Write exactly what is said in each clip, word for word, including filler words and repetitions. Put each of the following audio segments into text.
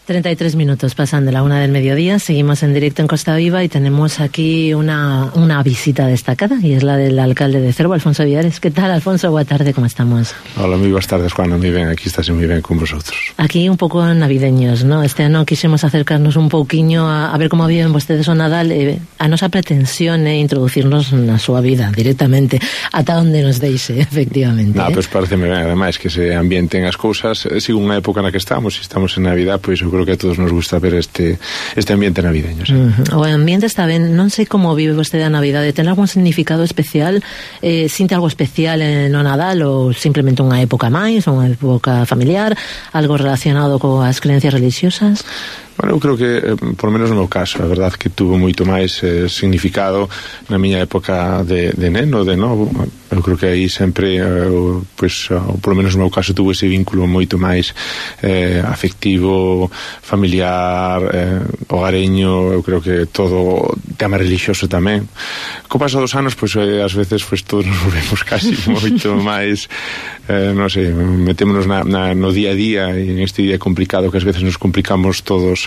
treinta y tres minutos pasan de la una del mediodía, seguimos en directo en Costa Viva y tenemos aquí una, una visita destacada y es la del alcalde de Cervo, Alfonso Villares. ¿Qué tal, Alfonso? Buenas tardes, ¿cómo estamos? Hola, muy buenas tardes, Juan, muy bien, aquí estás muy bien con vosotros. Aquí un pouco navideños, ¿no? Este ano quixemos acercarnos un pouquiño a, a ver como viven vostedes o Nadal. Eh, a nosa pretensión é introducirnos na súa vida directamente, ata onde nos deixe, efectivamente. No, eh? pois pues pareceme ben, ademais, que se ambienten as cousas, según a época na que estamos, se estamos en Navidad, pois pues, eu creo que a todos nos gusta ver este este ambiente navideño, sí. Uh-huh. O ambiente está ben, non sei como vive vostede a Navidade, ten algún significado especial, eh, sinte algo especial no Nadal ou simplemente unha época máis, unha época familiar, algo relacionado coas creencias religiosas? Bueno, eu creo que, eh, por lo menos no meu caso, a verdade que tuvo moito máis eh, significado na miña época de, de neno, de novo. Eu creo que aí sempre, eh, pues, ou por lo menos no meu caso, tuvo ese vínculo moito máis eh, afectivo, familiar, eh, hogareño. Eu creo que todo tema religioso tamén. Co paso dos anos, pois, eh, ás veces, pues, todos nos volvemos casi moito máis, eh, non sei, metémonos na, na, no día a día, e en este día complicado que ás veces nos complicamos todos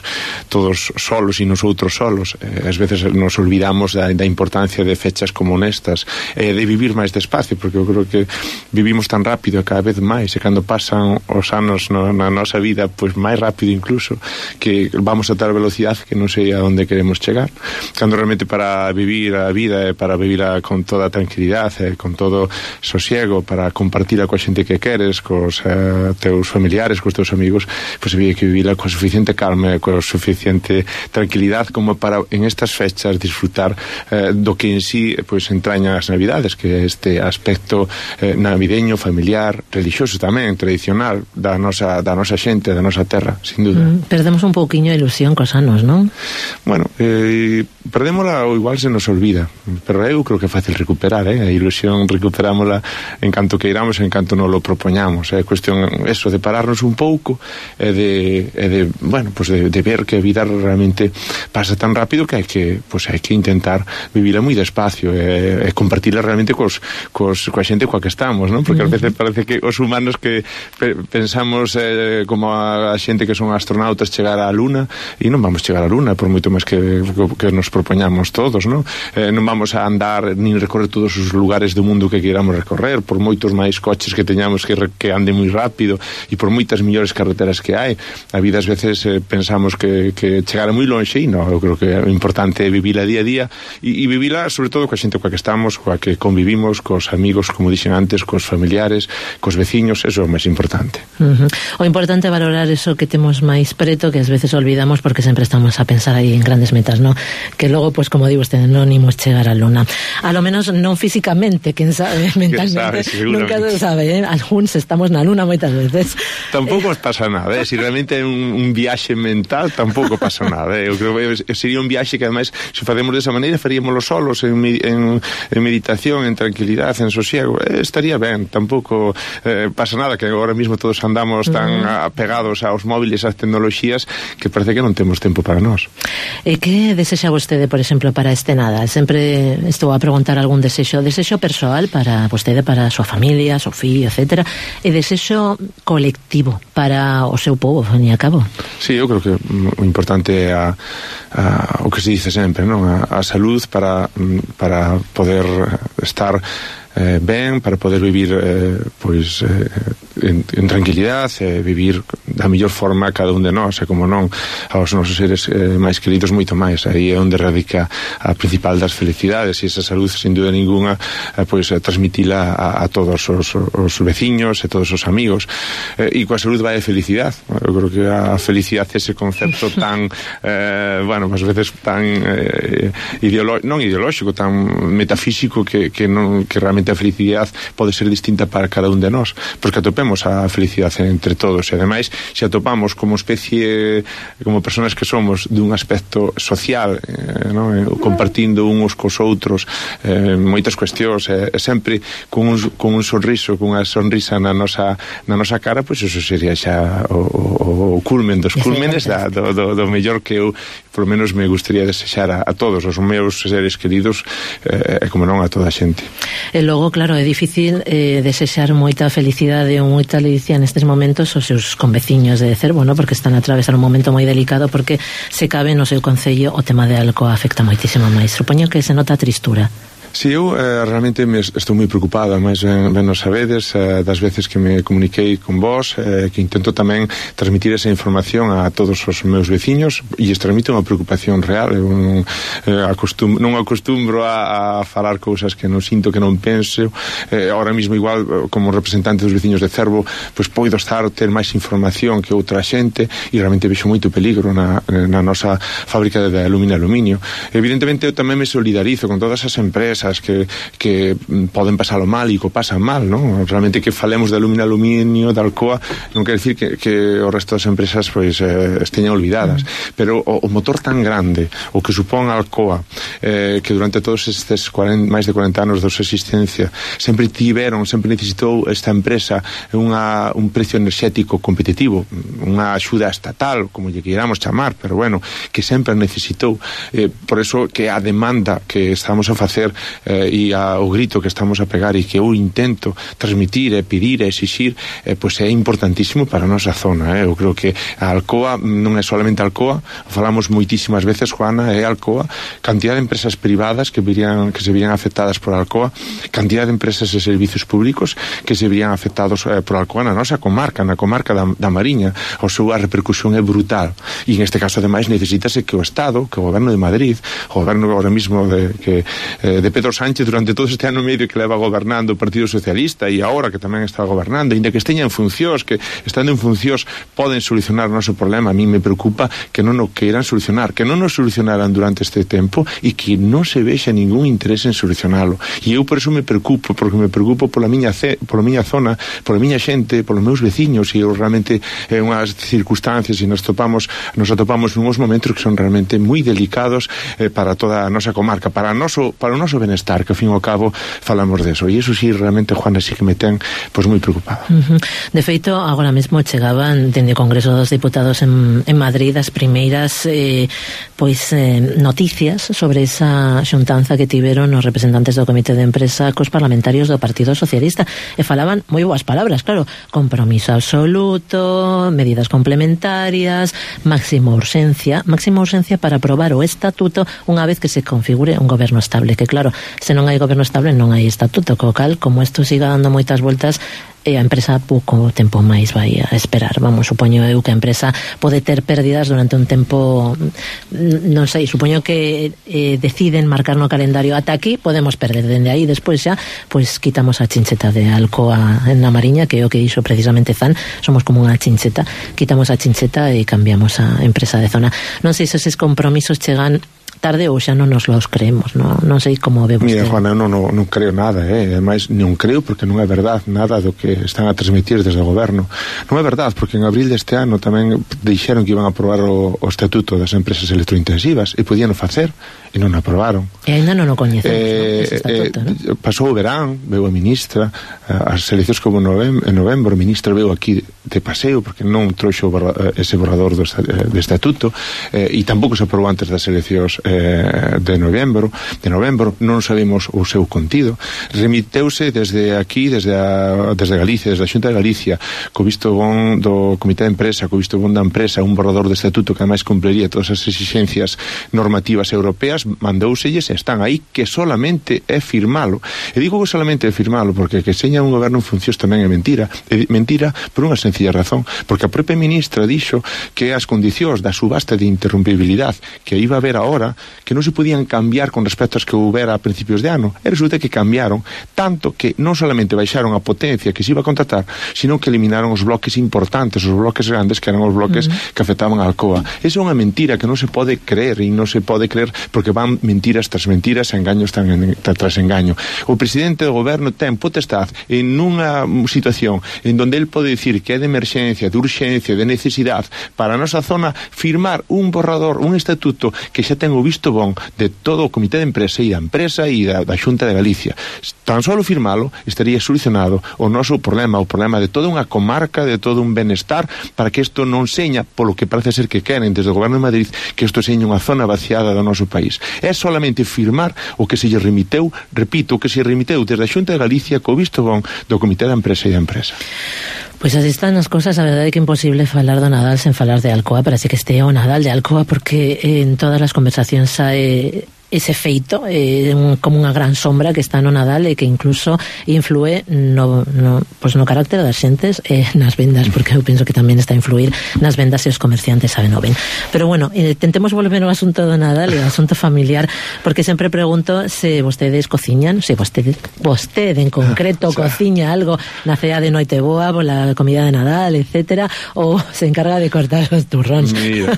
todos solos e nosotros solos. Eh, ás veces nos olvidamos da, da importancia de fechas como nestas, eh, de vivir máis despacio, porque eu creo que vivimos tan rápido cada vez máis, e cando pasan os anos no, na nosa vida, pois máis rápido incluso, que vamos a tal velocidade que non sei a onde queremos chegar, cando realmente para vivir a vida e para vivila con toda tranquilidade, con todo sosiego, para compartila coa xente que queres, cos eh, teus familiares, cos teus amigos, pois había que vivila con suficiente calma, con suficiente tranquilidade como para en estas fechas disfrutar eh, do que en sí pois entraña as Navidades, que é este aspecto eh, navideño, familiar, religioso tamén, tradicional da nosa, da nosa xente, da nosa terra, sin duda. Mm, perdemos un pouquiño a ilusión cos anos, non? Bueno, eh, perdémola ou igual se nos olvida, pero eu creo que é fácil recuperar, eh? A ilusión recuperámola en canto que iramos, en canto nos lo propoñamos. É eh? cuestión eso de pararnos un pouco e de, e de bueno, pues de, de ver que a vida realmente pasa tan rápido que hai que, pues hai que intentar vivila moi despacio e, e compartila realmente cos, cos, coa xente coa que estamos, non? Porque ás veces parece que os humanos que pe, pensamos eh, como a, a xente que son astronautas chegar á Luna, e non vamos chegar á Luna por moito máis que, que nos propoñamos todos, non? Eh, non vamos a andar nin recorrer todos os lugares do mundo que queramos recorrer, por moitos máis coches que teñamos que, que ande moi rápido e por moitas millores carreteras que hai. A vida ás veces eh, pensamos que, que chegar moi lonxe, e non, eu creo que é importante vivila día a día e, e vivila sobre todo coa xente coa que estamos, coa que convivimos, cos amigos, como dixen antes, cos familiares, cos veciños, eso é o máis importante. Uh-huh. O importante é valorar eso que temos máis preto, que ás veces olvidamos porque sempre estamos a pensar aí en grandes metas, ¿no? Que logo, pues como digo usted, non imos chegar á Luna. A lo menos non físicamente, quen sabe, mentalmente, sabe, nunca se sabe, eh? Algúns estamos na Luna moitas veces. Tampouco eh. pasa nada, eh? Si realmente é un, un viaxe mental, tampouco pasa nada, eh? Eu creo que sería un viaxe que ademais, se facemos desa maneira, faríamoslo solos, en, en, en meditación, en tranquilidade, en sosiego, eh, estaría ben, tampouco eh, pasa nada, que agora mismo todos andamos tan mm. apegados aos móviles, ás tecnoloxías, que parece que non temos tempo para nós. E que desexa vostede, por exemplo, para este Nadal? Sempre estou a preguntar algún desexo, desexo persoal para vostede, para a súa familia, seu fillo, etcétera, e desexo colectivo para o seu povo, ao fin e a cabo. Sí, eu creo que o importante é a, a, o que se dice sempre, non? A, a salud para, para poder estar eh, ben, para poder vivir eh, pois eh, en, en tranquilidade, eh, vivir da mellor forma cada un de nós, e como non aos nosos seres eh, máis queridos moito máis. Aí é onde radica a principal das felicidades, e esa salud, sin dúda ninguna, eh, pois eh, transmitila a, a todos os, os veciños e todos os amigos, eh, e coa salud vai a felicidade. Eu creo que a felicidade é ese concepto tan eh, bueno, ás veces tan eh, ideolo- non ideolóxico, tan metafísico, que, que, non, que realmente a felicidade pode ser distinta para cada un de nós, porque atopemos a felicidade entre todos, e ademais se atopamos como especie, como personas que somos, dun aspecto social, eh, no? compartindo uns cos outros eh, moitas cuestións, eh, sempre con un, con un sorriso, con unha sonrisa na nosa, na nosa cara, pois pues eso sería xa o, o, o culmen dos cúlmenes da, do, do, do mellor que eu por lo menos me gustaría desexar a, a todos os meus seres queridos e eh, como non a toda a xente. E logo, claro, é difícil eh, desexar moita felicidade ou moita ledicia nestes momentos aos seus conveciños de Cervo, ¿no? Porque están a atravesar un momento moi delicado, porque se cabe no seu concello o tema de Alcoa afecta moitísimo máis. Supoño que se nota a tristura. Si, eu eh, realmente me estou moi preocupada, máis ben, ben nos sabedes, eh, das veces que me comuniquei con vos, eh, que intento tamén transmitir esa información a todos os meus veciños e es transmito unha preocupación real. Eu non, eh, acostum, non acostumbro a, a falar cousas que non sinto, que non penso. Eh, ahora mismo igual, como representante dos veciños de Cervo, pois poido estar, ter máis información que outra xente e realmente vexo moito peligro na, na nosa fábrica de alumínio e aluminio. Evidentemente eu tamén me solidarizo con todas as empresas que, que poden pasalo mal e que o pasan mal, non? Realmente que falemos de alumínio aluminio, de Alcoa, non quer decir que, que o resto das empresas pois eh, esteñan olvidadas, mm. pero o, o motor tan grande, o que supón Alcoa, eh, que durante todos estes cuarenta, máis de cuarenta anos da súa existencia sempre tiveron, sempre necesitou esta empresa unha, un precio enerxético competitivo, unha axuda estatal, como lle queiramos chamar, pero bueno, que sempre necesitou, eh, por eso que a demanda que estamos a facer eh, e a, o grito que estamos a pegar e que eu intento transmitir e pedir e exixir, eh, pois é importantísimo para a nosa zona. Eh. Eu creo que a Alcoa non é solamente Alcoa, falamos moitísimas veces, Juana, é Alcoa, cantidad de empresas privadas que virían, que se virían afectadas por Alcoa, cantidad de empresas e servicios públicos que se virían afectados eh, por Alcoa na nosa comarca, na comarca da, da Mariña. O seu a repercusión é brutal e en este caso ademais necesitase que o Estado, que o Goberno de Madrid, o Goberno agora mismo de, que, eh, de Pedro Sánchez durante todo este ano e medio que leva gobernando o Partido Socialista e agora que tamén está gobernando, ainda que esteña en funcións, que estando en funcións poden solucionar o noso problema, a mí me preocupa que non o queiran solucionar, que non o solucionaran durante este tempo e que non se vexa ningún interés en solucionalo. E eu por eso me preocupo, porque me preocupo pola miña, ce, pola miña zona, pola miña xente, polos meus veciños, e eu realmente é unhas circunstancias e nos topamos, nos atopamos nuns momentos que son realmente moi delicados eh, para toda a nosa comarca, para, noso, para o noso benestar, que ao fin e ao cabo falamos deso, e iso sí, realmente, Juana, sí que me ten pois moi preocupada. Uh-huh. De feito, agora mesmo chegaban dende o Congreso dos Diputados en, en Madrid as primeiras eh, pois eh, noticias sobre esa xuntanza que tiveron os representantes do Comité de Empresa cos parlamentarios do Partido Socialista e falaban moi boas palabras, claro, compromiso absoluto, medidas complementarias, máxima urxencia, máxima urxencia para aprobar o estatuto unha vez que se configure un goberno estable, que claro, se non hai goberno estable non hai estatuto, co cal, como isto siga dando moitas voltas, e a empresa pouco tempo máis vai a esperar. Vamos, supoño eu que a empresa pode ter pérdidas durante un tempo, non sei, supoño que eh, deciden marcar no calendario ata aquí, podemos perder dende aí, despois xa, pois quitamos a chincheta de Alcoa na Mariña, que é o que dixo precisamente Zan, somos como unha chincheta, quitamos a chincheta e cambiamos a empresa de zona. Non sei se eses compromisos chegan tarde ou xa non nos los creemos, non, non sei como ve vostede. Mira, Juana, eu non, non, non creo nada, eh? Ademais, non creo porque non é verdade nada do que están a transmitir desde o goberno. Non é verdade porque en abril deste ano tamén dixeron que iban a aprobar o, o estatuto das empresas electrointensivas e podían facer e non aprobaron. E ainda non o coñecemos, eh, ¿no? Estatuto, eh, ¿no? Pasou o verán, veu a ministra, as eleccións como novembro, en novembro, a ministra veu aquí de paseo porque non trouxo ese borrador do, do estatuto eh, e tampouco se aprobou antes das eleccións eh, de novembro, de novembro, non sabemos o seu contido. Remiteuse desde aquí, desde a, desde Galicia, desde a Xunta de Galicia, co visto bon do Comité de Empresa, co visto bon da empresa, un borrador de estatuto que ademais cumpliría todas as exigencias normativas europeas, mandouselles e están aí, que solamente é firmalo. E digo que solamente é firmalo porque que seña un goberno en funcións tamén é mentira. É mentira por unha sencilla razón, porque a propia ministra dixo que as condicións da subasta de interrumpibilidade que iba a haber agora, que non se podían cambiar con respecto ás que houbera a principios de ano, e resulta que cambiaron, tanto que non solamente baixaron a potencia que se iba a contratar, sino que eliminaron os bloques importantes, os bloques grandes, que eran os bloques uh-huh. que afectaban a Alcoa. Esa é unha mentira que non se pode creer, e non se pode creer porque van mentiras tras mentiras, engaños tras engaño. O presidente do goberno ten potestade en unha situación en donde el pode dicir que é de emerxencia, de urxencia, de necesidade para a nosa zona, firmar un borrador, un estatuto que xa ten o visto bon de todo o comité de empresa e da empresa e da, da Xunta de Galicia. Tan só firmalo estaría solucionado o noso problema, o problema de toda unha comarca, de todo un benestar, para que isto non seña, polo que parece ser que queren desde o Goberno de Madrid, que isto seña unha zona vaciada do noso país. É solamente firmar o que se lle remiteu, repito, o que se remiteu desde a Xunta de Galicia co visto bon do comité da empresa e da empresa. Pois así están as cosas. A verdade é que é imposible falar do Nadal sen falar de Alcoa. Parece que este é o Nadal de Alcoa, porque en todas as conversacións hai ese feito, eh, un, como unha gran sombra que está no Nadal e que incluso influe no, no, pues no carácter das xentes e eh, nas vendas, porque eu penso que tamén está a influir nas vendas e os comerciantes saben o ben. Pero bueno, eh, tentemos volver ao asunto do Nadal e ao asunto familiar, porque sempre pregunto se vostedes cociñan, se vostede, vostede en concreto cociña algo na cea de noite boa, pola comida de Nadal, etcétera, ou se encarga de cortar os turróns. Mira,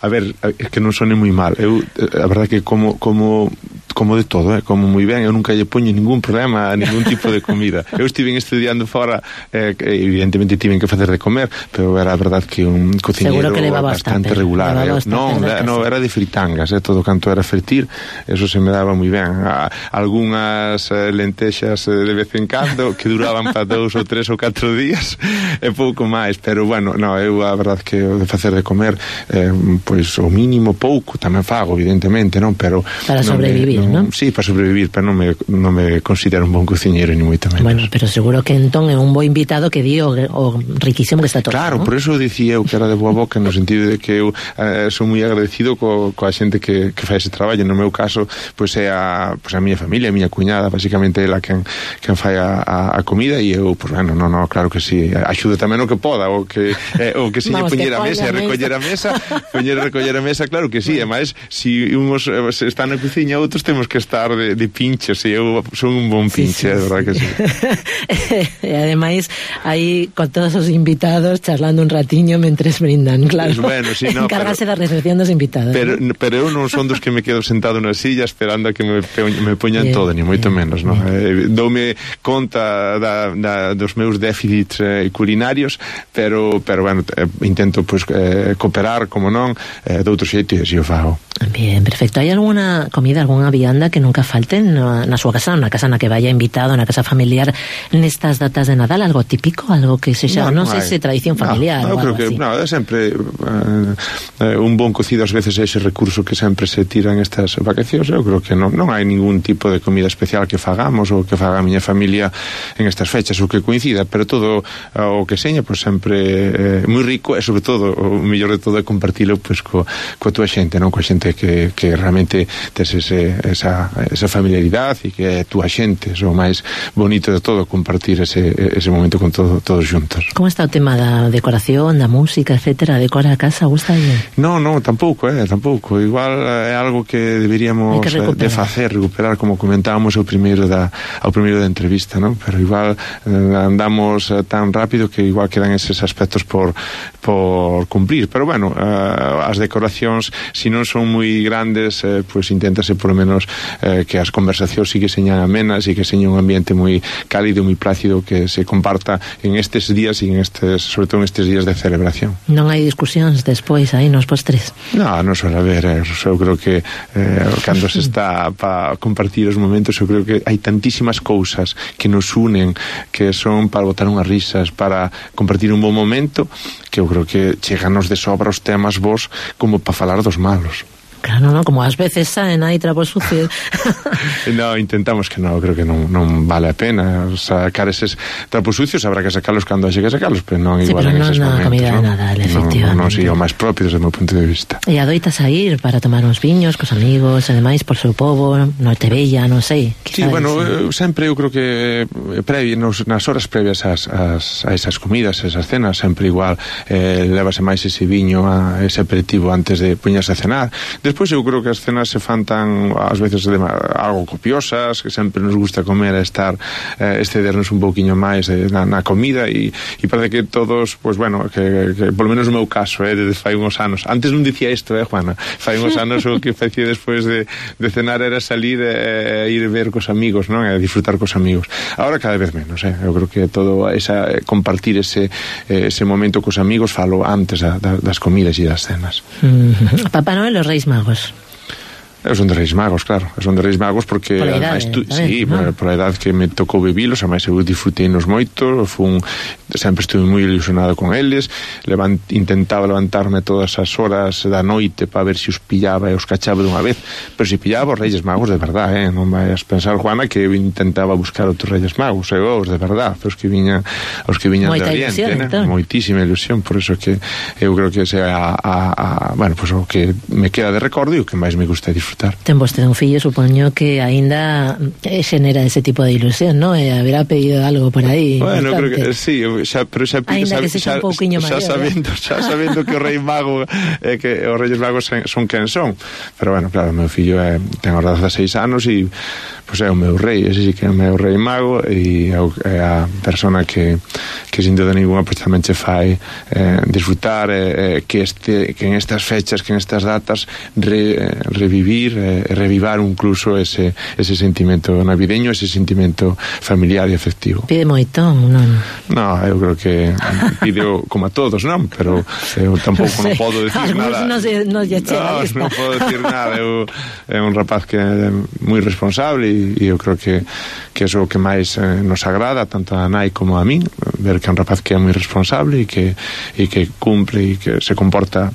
a ver, é que non sone moi mal. Eu, a verdade que como como como de todo, eh? Como moi ben, eu nunca lle poño ningún problema a ningún tipo de comida. Eu estive estudiando fora, eh, evidentemente tiven que facer de comer, pero era a verdade que un cociñeiro que bastante tupper, regular. Eh? Non, no, era de fritangas, eh? Todo canto era fritir, eso se me daba moi ben. A, algunhas eh, lentexas eh, de vez en cando que duraban para dous ou tres ou catro días e pouco máis, pero bueno, no, eu a verdade que o de facer de comer eh, pois o mínimo pouco tamén fago, evidentemente, non, pero para sobrevivir, non, non? Sí, para sobrevivir, pero non me, non me considero un bon cociñeiro ni moito menos. Bueno, pero seguro que entón é un bo invitado que di o, o riquísimo que está todo. Claro, ¿no? por eso dicía eu que era de boa boca, no sentido de que eu eh, sou moi agradecido co, coa xente que, que fai ese traballo. No meu caso, pois é a, pois a miña familia, a miña cuñada, basicamente ela quen, quen fai a, a, a comida, e eu, pois bueno, no, no, claro que sí, axudo tamén o que poda, o que eh, o que se lle poñer a mesa e recoller a mesa, poñer a recoller a mesa, claro que sí, e máis, si uns eh, están na cociña, outros temos que estar de, de pinches, e eu son un bon pinche, sí, sí, de verdad sí. Que sí. E ademais, aí con todos os invitados charlando un ratiño mentres brindan, claro. Pues bueno, sí, no, encárgase da recepción dos invitados. Pero, ¿no? pero eu non son dos que me quedo sentado na silla esperando a que me, me poñan bien, todo, ni moito bien, menos, non? Eh, doume conta da, da, dos meus déficits eh, culinarios, pero, pero bueno, eh, intento pues, eh, cooperar, como non, eh, de outro xeito, e así o fago. Bien, perfecto. Hai algunha comida, algunha vianda que nunca falte na, na súa casa, na casa na que vaya invitado, na casa familiar, nestas datas de Nadal? Algo típico? Algo que sexa, non, non sei se tradición familiar no, ou creo algo que, así? No, é sempre uh, un bon cocido, ás veces é ese recurso que sempre se tira en estas vacacións. Eu creo que non, non hai ningún tipo de comida especial que fagamos ou que faga a miña familia en estas fechas, ou que coincida, pero todo uh, o que seña, pois sempre eh, moi rico, e sobre todo, o mellor de todo é compartilo pois, co, coa túa xente, non? Coa xente que, que realmente tes ese, esa, esa familiaridade e que é túa xente, é o máis bonito de todo, compartir ese, ese momento con todo, todos juntos. Como está o tema da decoración, da música, etcétera? Decora a casa, gusta bien? No, no, tampouco, eh, tampouco. Igual é algo que deberíamos que de facer, recuperar, como comentábamos ao primeiro da, ao primeiro da entrevista, non? Pero igual eh, andamos eh, tan rápido que igual quedan eses aspectos por, por cumplir. Pero bueno, eh, as decoracións, se non son moi grandes, eh, pues inténtase por lo menos eh, que as conversacións sí que señan amenas e que seña un ambiente moi cálido, moi plácido, que se comparta en estes días e en estes, sobre todo en estes días de celebración. Non hai discusións despois aí nos postres? No, non suele haber, eh, eu creo que eh, cando se está para compartir os momentos, eu creo que hai tantísimas cousas que nos unen, que son para botar unhas risas, para compartir un bon momento, que eu creo que cheganos de sobra os temas vos como para falar dos malos. Claro, no, como ás veces saen aí trapos sucios. No, intentamos que non, creo que non, non vale a pena sacar eses trapos sucios, habrá que sacalos cando haxe que sacalos, pero non sí, igual pero en no, eses no, momentos, comida ¿no? de Nadal, efectivamente. Non, non sería o máis propio desde o meu punto de vista. E adoitas a ir para tomar uns viños cos amigos, e demais, por seu pobo, Noite Bella, non sei. Sí, bueno, eu, sempre eu creo que previ, nos, nas horas previas as, as, a esas comidas, esas cenas, sempre igual eh, levase máis ese viño, a ese aperitivo antes de poñerse a cenar. Despois eu creo que as cenas se fan tan, ás veces de, algo copiosas, que sempre nos gusta comer e estar, eh, excedernos un pouquiño máis eh, na, na comida, e, e parece que todos, pues bueno, que, que polo menos no meu caso, eh, desde fai uns anos, antes non dicía isto, eh, Juana, fai uns anos o que facía despois de, de cenar era salir e eh, ir ver cos amigos, non? E disfrutar cos amigos. Ahora cada vez menos, eh, eu creo que todo esa, compartir ese, eh, ese momento cos amigos falo antes da, da, das comidas e das cenas. Mm-hmm. Papá Noel e os Reis Magos. Eu son de Reis Magos, claro. Eu son de Reis Magos porque... Por a idade, tu, tamén, sí, ¿no? por a idade que me tocou vivilos, ademais eu disfrutei nos moito, fun, sempre estuve moi ilusionado con eles, levant, intentaba levantarme todas as horas da noite para ver se os pillaba e os cachaba dunha vez, pero se pillaba os Reis Magos de verdad, eh? Non vais pensar, Juana, que eu intentaba buscar outros Reis Magos, eu os de verdad, os que viñan, os que viñan Moita de Oriente, ilusión, né? entón. Moitísima ilusión, por eso que eu creo que ese a, a, a bueno, pues o que me queda de recordo e o que máis me gusta disfrutar. Ten vostede un fillo, supoño que aínda xenera ese tipo de ilusión, ¿no? E haberá pedido algo por aí. Bueno, bastante. creo que sí, xa, pero xa, Aínda xa, que sexa un pouquiño xa, maior, sabendo, xa sabendo que o Rei Mago eh, que os Reis Magos son quen son. Pero bueno, claro, o meu fillo é, ten os dezaseis anos e pois é o meu rei, ese sí que é o meu Rei Mago e é a persona que, que sin duda ninguna pues, tamén che fai eh, disfrutar eh, que, este, que en estas fechas, que en estas datas re, eh, revivir e eh, revivar incluso ese, ese sentimento navideño, ese sentimento familiar e afectivo. Pide moito, non? No, eu creo que pide como a todos, non? Pero eu tampouco non podo decir nada. Non se, non lle chega No, lista. non podo decir nada. Eu é un rapaz que é moi responsable e, e eu creo que que é o que máis eh, nos agrada tanto a nai como a min, ver que é un rapaz que é moi responsable e que e que cumpre e que se comporta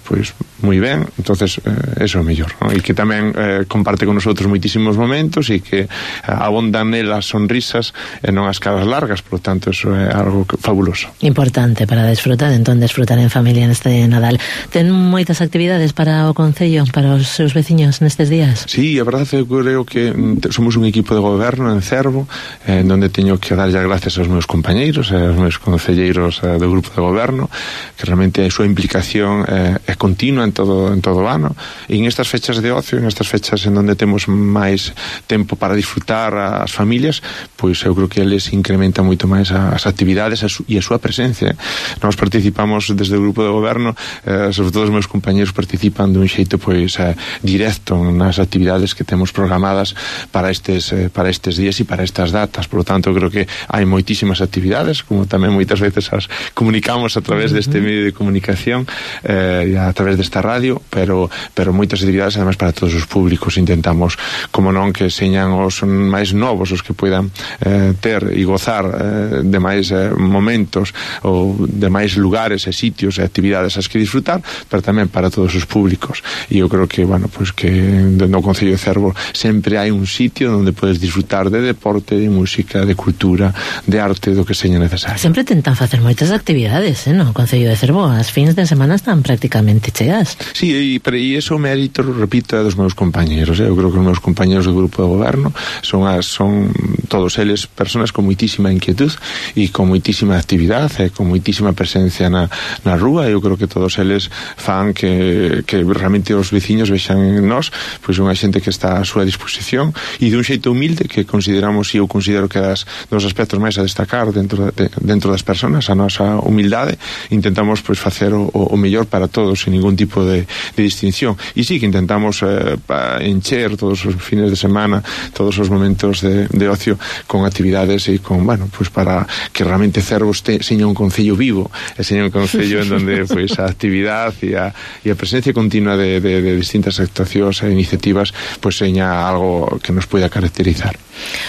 pois moi ben, entonces eh, eso é o mellor, ¿no? E que tamén eh, comparte con nosotros moitísimos momentos e que eh, abondan nelas sonrisas e non as caras largas, por lo tanto eso é algo que, fabuloso. Importante para desfrutar, entón desfrutar en familia neste Nadal. Ten moitas actividades para o Concello, para os seus veciños nestes días? Sí, a verdade é que eu creo que somos un equipo de goberno en Cervo, eh, onde teño que darlle as gracias aos meus compañeiros, aos meus concelleiros eh, do grupo de goberno, que realmente a súa implicación eh, é continua en todo en todo o ano, e en estas fechas de ocio, en estas fechas en onde temos máis tempo para disfrutar as familias, pois eu creo que eles incrementan moito máis as actividades e a súa presencia. Nós participamos desde o grupo de goberno, eh, sobre todo os meus compañeros participan dun xeito pois eh, directo nas actividades que temos programadas para estes eh, para estes días e para estas datas. Por lo tanto, creo que hai moitísimas actividades, como tamén moitas veces as comunicamos a través deste medio de comunicación eh, e a través desta radio, pero pero moitas actividades además para todos os públicos. Intentamos, como non, que señan os máis novos os que poidan eh, ter e gozar eh, de máis eh, momentos ou de máis lugares e sitios e actividades as que disfrutar, pero tamén para todos os públicos. E eu creo que, bueno, pues que no Concello de Cervo sempre hai un sitio onde podes disfrutar de deporte, de música, de cultura, de arte, do que seña necesario. Sempre tentan facer moitas actividades, eh, no Concello de Cervo. As fins de semana están prácticamente chegas. Sí, e, pero, e iso o mérito, repito, é dos meus compañeros, eh? Eu creo que os meus compañeros do grupo de goberno son, as, son todos eles personas con moitísima inquietud e con moitísima actividade e con moitísima presencia na, na rúa. Eu creo que todos eles fan que, que realmente os veciños vexan en nós pois unha xente que está a súa disposición e dun xeito humilde que consideramos, e eu considero que das, dos aspectos máis a destacar dentro, de, dentro das personas, a nosa humildade. Intentamos pois facer o, o mellor para todos sin ningún tipo de, de distinción. E sí que intentamos eh, encher todos os fines de semana, todos os momentos de, de ocio con actividades e con, bueno, pues para que realmente Cervo este, seña un concello vivo, e seña un concello en donde pues a actividade e a, e a presencia continua de, de, de distintas actuacións e iniciativas pues seña algo que nos poida caracterizar.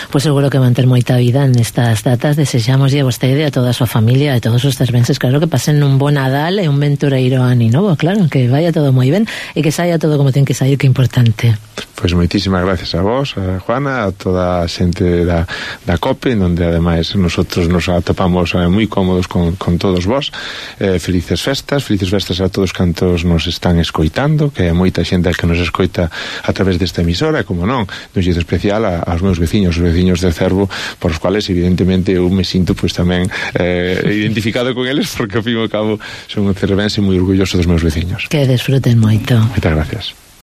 Pois seguro que van ter moita vida nestas datas. Desexamos a vostede, a toda a súa familia, a todos os cervenses, claro, que pasen un bon Nadal e un ventureiro ano novo, claro, que vaya todo moi ben e que saia todo como ten que sair, que é importante. Pois moitísimas gracias a vos, a Juana, a toda a xente da, da COPE, onde ademais nosotros nos atopamos eh, moi cómodos con, con todos vos. Eh, felices festas, felices festas a todos cantos nos están escoitando, que é moita xente que nos escoita a través desta emisora, e como non, dun xeito especial a, aos meus veciños, os veciños de Cervo, por os cuales evidentemente eu me sinto pois tamén eh, identificado con eles, porque ao fin e ao cabo son un cervense moi orgulloso dos meus veciños. Que desfruten moito. Moitas gracias.